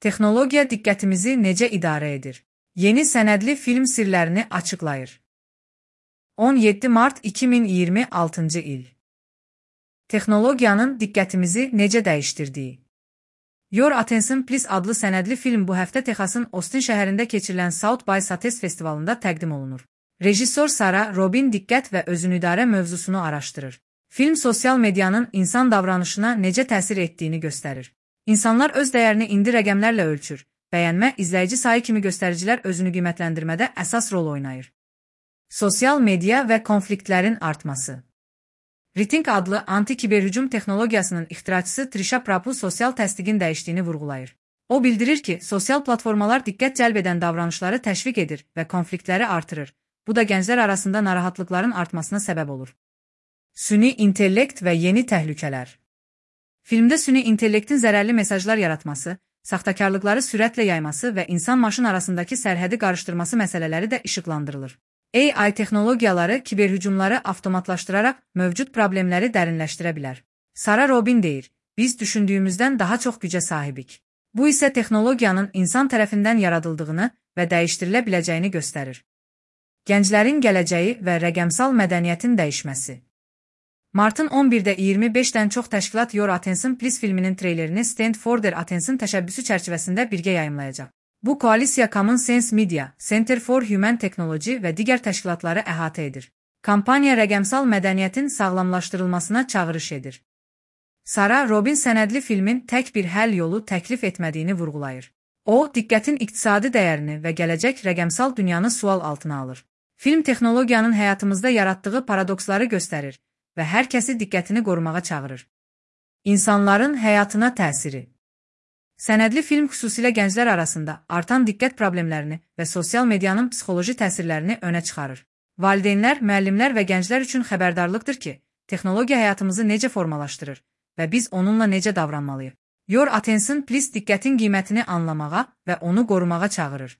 Texnologiya diqqətimizi necə idarə edir? Yeni sənədli film sirlərini açıqlayır. 17 mart 2026-cı il. Texnologiyanın diqqətimizi necə dəyişdirdiyi. Your Attention Please adlı sənədli film bu həftə Texasın Austin şəhərində keçirilən South by Southwest festivalında təqdim olunur. Rejissor Sara Robin diqqət və özünüdarə mövzusunu araşdırır. Film sosial medianın insan davranışına necə təsir etdiyini göstərir. İnsanlar öz dəyərini indi rəqəmlərlə ölçür. Bəyənmə, izləyici sayı kimi göstəricilər özünü qiymətləndirmədə əsas rol oynayır. Sosial media və konfliktlərin artması. Ring adlı anti-kiberhücum texnologiyasının ixtiraçısı Trisha Prabhu sosial təsdiqin dəyişdiyini vurğulayır. O bildirir ki, sosial platformalar diqqət cəlb edən davranışları təşviq edir və konfliktləri artırır. Bu da gənclər arasında narahatlıqların artmasına səbəb olur. Süni intellekt və yeni təhlükələr. Filmdə süni intellektin zərərli mesajlar yaratması, saxtakarlıqları sürətlə yayması və insan-maşın arasındakı sərhədi qarışdırması məsələləri də işıqlandırılır. AI texnologiyaları kiberhücumları avtomatlaşdıraraq mövcud problemləri dərinləşdirə bilər. Sara Robin deyir, biz düşündüyümüzdən daha çox gücə sahibik. Bu isə texnologiyanın insan tərəfindən yaradıldığını və dəyişdirilə biləcəyini göstərir. Gənclərin gələcəyi və rəqəmsal mədəniyyətin dəyişməsi. Martın 11-də 25-dən çox təşkilat Your Attention Please filminin treylerini Stand for Their Attention təşəbbüsü çərçivəsində birgə yayımlayacaq. Bu koalisiya Common Sense Media, Center for Human Technology və digər təşkilatları əhatə edir. Kampaniya rəqəmsal mədəniyyətin sağlamlaşdırılmasına çağırış edir. Sara Robin sənədli filmin tək bir həll yolu təklif etmədiyini vurğulayır. O, diqqətin iqtisadi dəyərini və gələcək rəqəmsal dünyanı sual altına alır. Film texnologiyanın həyatımızda yaratdığı paradoksları göstərir və hər kəsi diqqətini qorumağa çağırır. İnsanların həyatına təsiri. Sənədli film xüsusilə gənclər arasında artan diqqət problemlərini və sosial medianın psixoloji təsirlərini önə çıxarır. Valideynlər, müəllimlər və gənclər üçün xəbərdarlıqdır ki, texnologiya həyatımızı necə formalaşdırır və biz onunla necə davranmalıyıq. Your Attention Please diqqətin qiymətini anlamağa və onu qorumağa çağırır.